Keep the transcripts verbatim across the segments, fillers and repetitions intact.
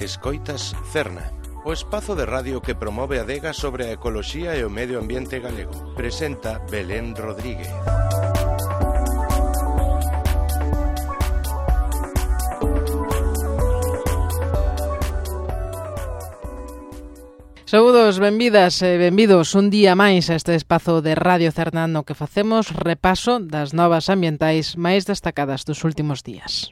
Escoitas Cerna, o espazo de radio que promove a adega sobre a ecoloxía e o medio ambiente galego. Presenta Belén Rodríguez. Saúdos, benvidas e benvidos un día máis a este espazo de Radio Cerna no que facemos repaso das novas ambientais máis destacadas dos últimos días.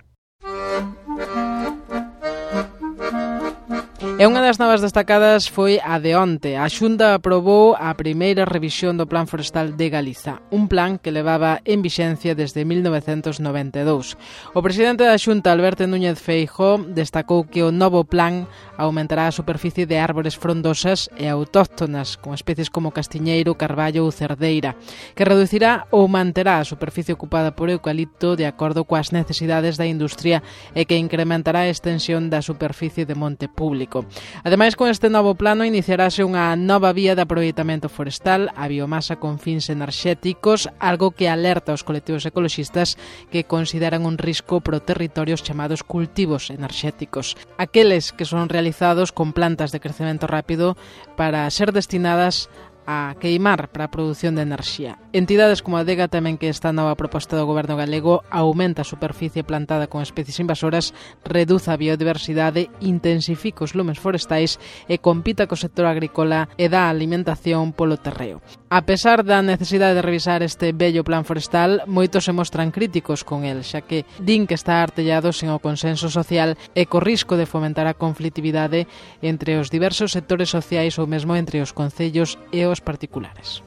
E unha das novas destacadas foi a de onte. A Xunta aprobou a primeira revisión do Plan Forestal de Galiza, un plan que levaba en vixencia desde mil novecentos noventa e dous. O presidente da Xunta, Alberto Núñez Feijóo, destacou que o novo plan aumentará a superficie de árbores frondosas e autóctonas, con especies como castiñeiro, carballo ou cerdeira, que reducirá ou manterá a superficie ocupada por eucalipto de acordo coas necesidades da industria e que incrementará a extensión da superficie de monte público. Ademais, con este novo plano iniciarase unha nova vía de aproveitamento forestal, a biomasa con fins enerxéticos, algo que alerta aos colectivos ecoloxistas que consideran un risco pro territorios chamados cultivos enerxéticos, aqueles que son realizados con plantas de crecemento rápido para ser destinadas a queimar para a produción de enerxía. Entidades como a Adega temen que esta nova proposta do goberno galego aumenta a superficie plantada con especies invasoras, reduza a biodiversidade, intensifica os lumes forestais e compita co sector agrícola e dá alimentación polo terreo. A pesar da necesidade de revisar este bello plan forestal, moitos se mostran críticos con el, xa que din que está artellado sen o consenso social e co risco de fomentar a conflitividade entre os diversos sectores sociais ou mesmo entre os concellos e os particulares.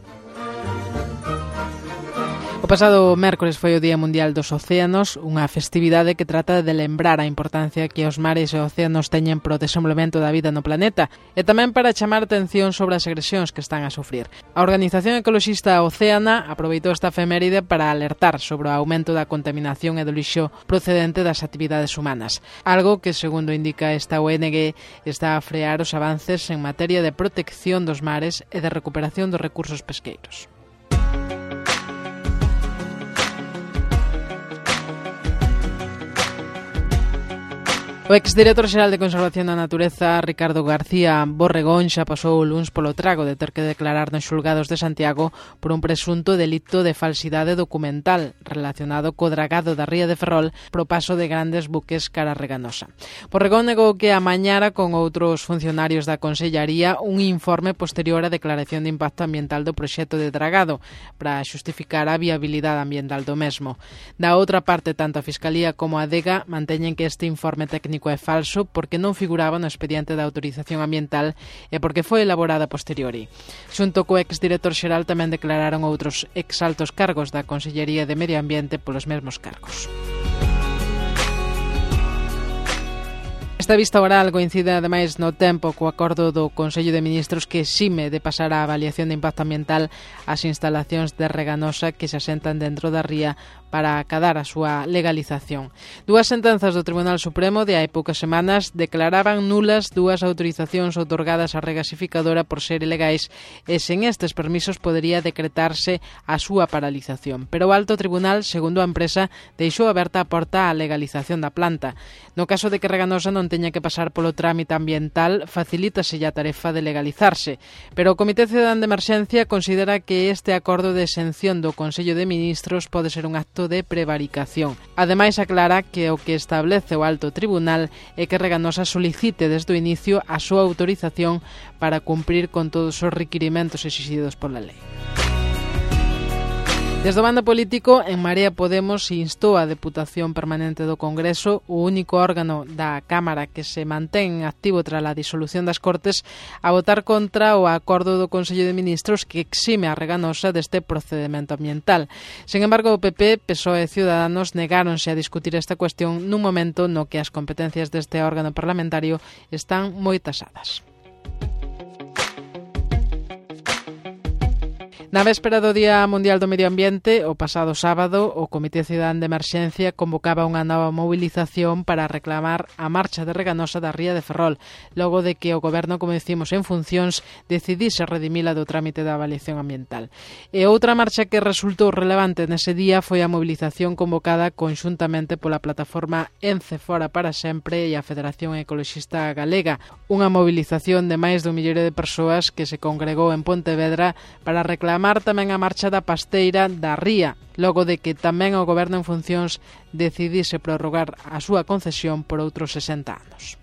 O pasado mércores foi o Día Mundial dos Océanos, unha festividade que trata de lembrar a importancia que os mares e océanos teñen pro desenvolvemento da vida no planeta e tamén para chamar atención sobre as agresións que están a sufrir. A organización ecoloxista Océana aproveitou esta efeméride para alertar sobre o aumento da contaminación e do lixo procedente das actividades humanas, algo que, segundo indica esta O N G, está a frear os avances en materia de protección dos mares e de recuperación dos recursos pesqueiros. O exdirector xeral de Conservación da Natureza, Ricardo García Borregón, xa pasou o luns polo trago de ter que declarar nos xulgados de Santiago por un presunto delito de falsidade documental relacionado co dragado da ría de Ferrol pro paso de grandes buques cara a Reganosa. Borregón negou que amañara con outros funcionarios da Consellaría un informe posterior á declaración de impacto ambiental do proxecto de dragado para xustificar a viabilidade ambiental do mesmo. Da outra parte, tanto a Fiscalía como a Adega manteñen que este informe técnico é falso porque non figuraba no expediente da autorización ambiental e porque foi elaborada a posteriori. Xunto co exdirector xeral tamén declararon outros exaltos cargos da Consellería de Medio Ambiente polos mesmos cargos. Esta vista oral coincide ademais no tempo co acordo do Consello de Ministros que exime de pasar a avaliación de impacto ambiental as instalacións de Reganosa que se asentan dentro da ría para acadar a súa legalización. Dúas sentenzas do Tribunal Supremo de hai poucas semanas declaraban nulas dúas autorizacións outorgadas á regasificadora por ser ilegais e sen estes permisos podería decretarse a súa paralización. Pero o Alto Tribunal, segundo a empresa, deixou aberta a porta á legalización da planta. No caso de que Reganosa non teña que pasar polo trámite ambiental, facilítase a tarefa de legalizarse. Pero o Comité Cidadán de Emerxencia considera que este acordo de exención do Consello de Ministros pode ser un acto de prevaricación. Ademais, aclara que o que establece o Alto Tribunal é que Reganosa solicite desde o inicio a súa autorización para cumprir con todos os requirimentos exixidos pola lei. Desde o bando político, En Marea Podemos instou a Deputación Permanente do Congreso, o único órgano da Cámara que se mantén activo tras a disolución das Cortes, a votar contra o acordo do Consello de Ministros que exime a Reganosa deste procedemento ambiental. Sen embargo, o P P, P S O E e Ciudadanos negáronse a discutir esta cuestión nun momento no que as competencias deste órgano parlamentario están moi tasadas. Na véspera do Día Mundial do Medio Ambiente, o pasado sábado, o Comité Cidadán de Emerxencia convocaba unha nova movilización para reclamar a marcha de Reganosa da Ría de Ferrol, logo de que o Goberno, como decimos en funcións, decidise redimila do trámite da avaliación ambiental. E outra marcha que resultou relevante nese día foi a movilización convocada conxuntamente pola plataforma Ence Fora para Sempre e a Federación Ecoloxista Galega, unha movilización de máis dun milloiro de persoas que se congregou en Pontevedra para reclamar tamén a marcha da pasteira da Ría, logo de que tamén o Goberno en funcións decidise prorrogar a súa concesión por outros sesenta anos.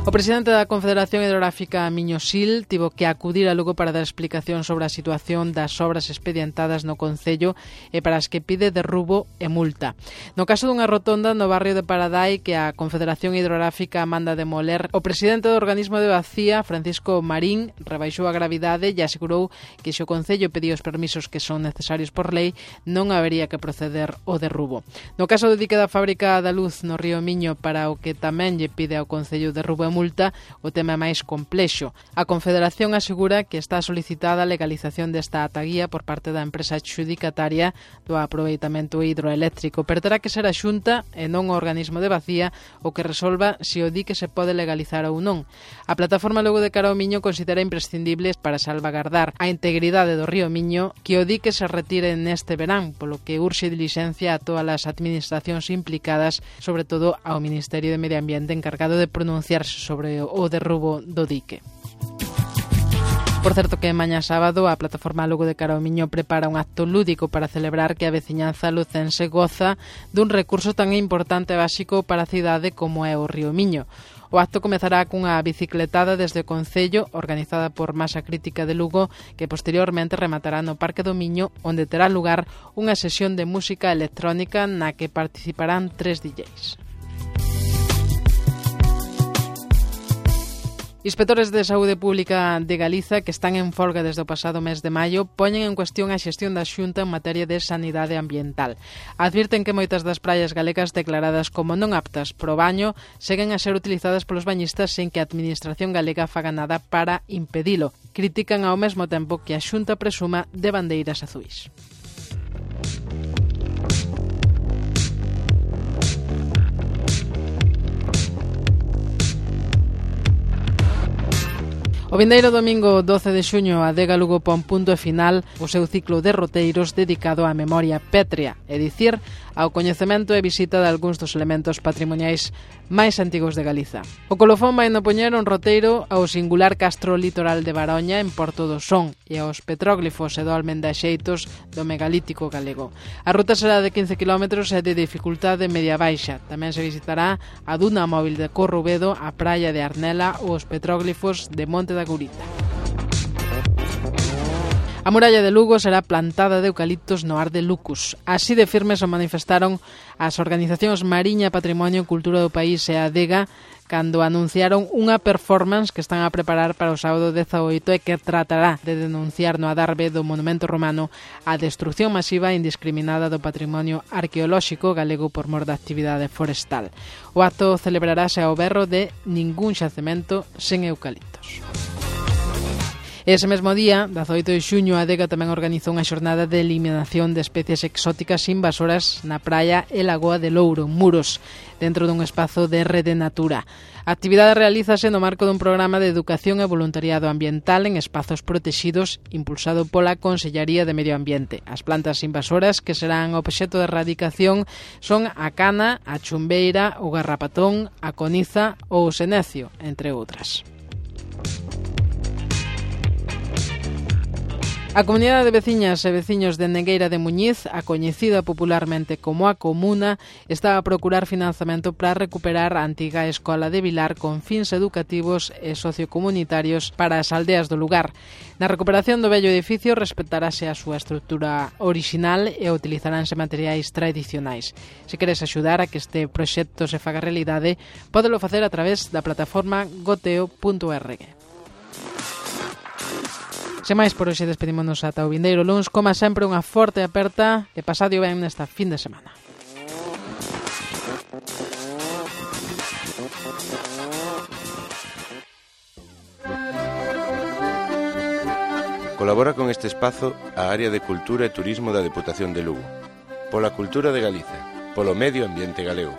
O presidente da Confederación Hidrográfica Miño-Sil tivo que acudir a Lugo para dar explicación sobre a situación das obras expedientadas no concello e para as que pide derrubo e multa. No caso dunha rotonda no barrio de Paradai que a Confederación Hidrográfica manda demoler, o presidente do organismo de Bacía, Francisco Marín, rebaixou a gravidade e asegurou que se o concello pedía os permisos que son necesarios por lei, non habería que proceder ao derrubo. No caso do dique da fábrica da luz no río Miño, para o que tamén lle pide ao concello derrubo e multa, o tema é máis complexo. A Confederación asegura que está solicitada a legalización desta ataguía por parte da empresa adxudicataria do aproveitamento hidroeléctrico, pero terá que ser a Xunta e non o organismo de Bacía o que resolva se o dique se pode legalizar ou non. A plataforma Logo de Cara ao Miño considera imprescindible para salvagardar a integridade do río Miño que o dique se retire neste verán, polo que urxe dilixencia a todas as administracións implicadas, sobre todo ao Ministerio de Medio Ambiente encargado de pronunciarse sobre o derrubo do dique. Por certo que mañá sábado a plataforma Lugo de Cara ao Miño prepara un acto lúdico para celebrar que a veciñanza lucense goza dun recurso tan importante e básico para a cidade como é o río Miño. O acto comezará cunha bicicletada desde o Concello, organizada por Masa Crítica de Lugo, que posteriormente rematará no Parque do Miño, onde terá lugar unha sesión de música electrónica na que participarán tres D Js. Inspectores de Saúde Pública de Galiza, que están en folga desde o pasado mes de maio, poñen en cuestión a xestión da Xunta en materia de sanidade ambiental. Advirten que moitas das praias galegas declaradas como non aptas pro baño seguen a ser utilizadas polos bañistas sen que a Administración galega faga nada para impedilo. Critican ao mesmo tempo que a Xunta presuma de bandeiras azuis. O vindeiro domingo doce de xuño a Adega Lugo pon punto e final o seu ciclo de roteiros dedicado á memoria pétrea, é dicir, ao coñecemento e visita de algúns dos elementos patrimoniais máis antigos de Galiza. O colofón vai no poñer un roteiro ao singular castro litoral de Baroña en Porto do Son e aos petróglifos e dolmen de axeitos do megalítico galego. A ruta será de quince kilómetros e de dificultade media baixa. Tamén se visitará a duna móvil de Corrubedo, a praia de Arnela ou os petróglifos de Monte da Gurita. A muralla de Lugo será plantada de eucaliptos no ar de Lucus. Así de firmes o manifestaron as organizacións Mariña, Patrimonio e Cultura do País e a Adega cando anunciaron unha performance que están a preparar para o sábado dezaoito e que tratará de denunciar no adarve do monumento romano a destrucción masiva e indiscriminada do patrimonio arqueolóxico galego por mor da actividade forestal. O acto celebrarase ao berro de ningún xacemento sen eucaliptos. Ese mesmo día, dezaoito de xuño, a Adega tamén organizou unha xornada de eliminación de especies exóticas invasoras na praia e Lagoa de Louro, Muros, dentro dun espazo de Rede Natura. A actividade realízase no marco dun programa de educación e voluntariado ambiental en espazos protexidos impulsado pola Consellaría de Medio Ambiente. As plantas invasoras que serán obxecto de erradicación son a cana, a chumbeira, o garrapatón, a coniza ou o senecio, entre outras. A comunidade de veciñas e veciños de Negueira de Muñiz, a coñecida popularmente como a Comuna, está a procurar financiamento para recuperar a antiga escola de Vilar con fins educativos e sociocomunitarios para as aldeas do lugar. Na recuperación do vello edificio respetarase a súa estrutura orixinal e utilizaránse materiais tradicionais. Se queres axudar a que este proxecto se faga realidade, pódelo facer a través da plataforma goteo punto org. Sen máis, por hoxe despedímonos ata o vindeiro luns. Como sempre, unha forte aperta e pasadio ben nesta fin de semana. Colabora con este espazo a área de Cultura e Turismo da Deputación de Lugo. Pola cultura de Galiza, polo medio ambiente galego.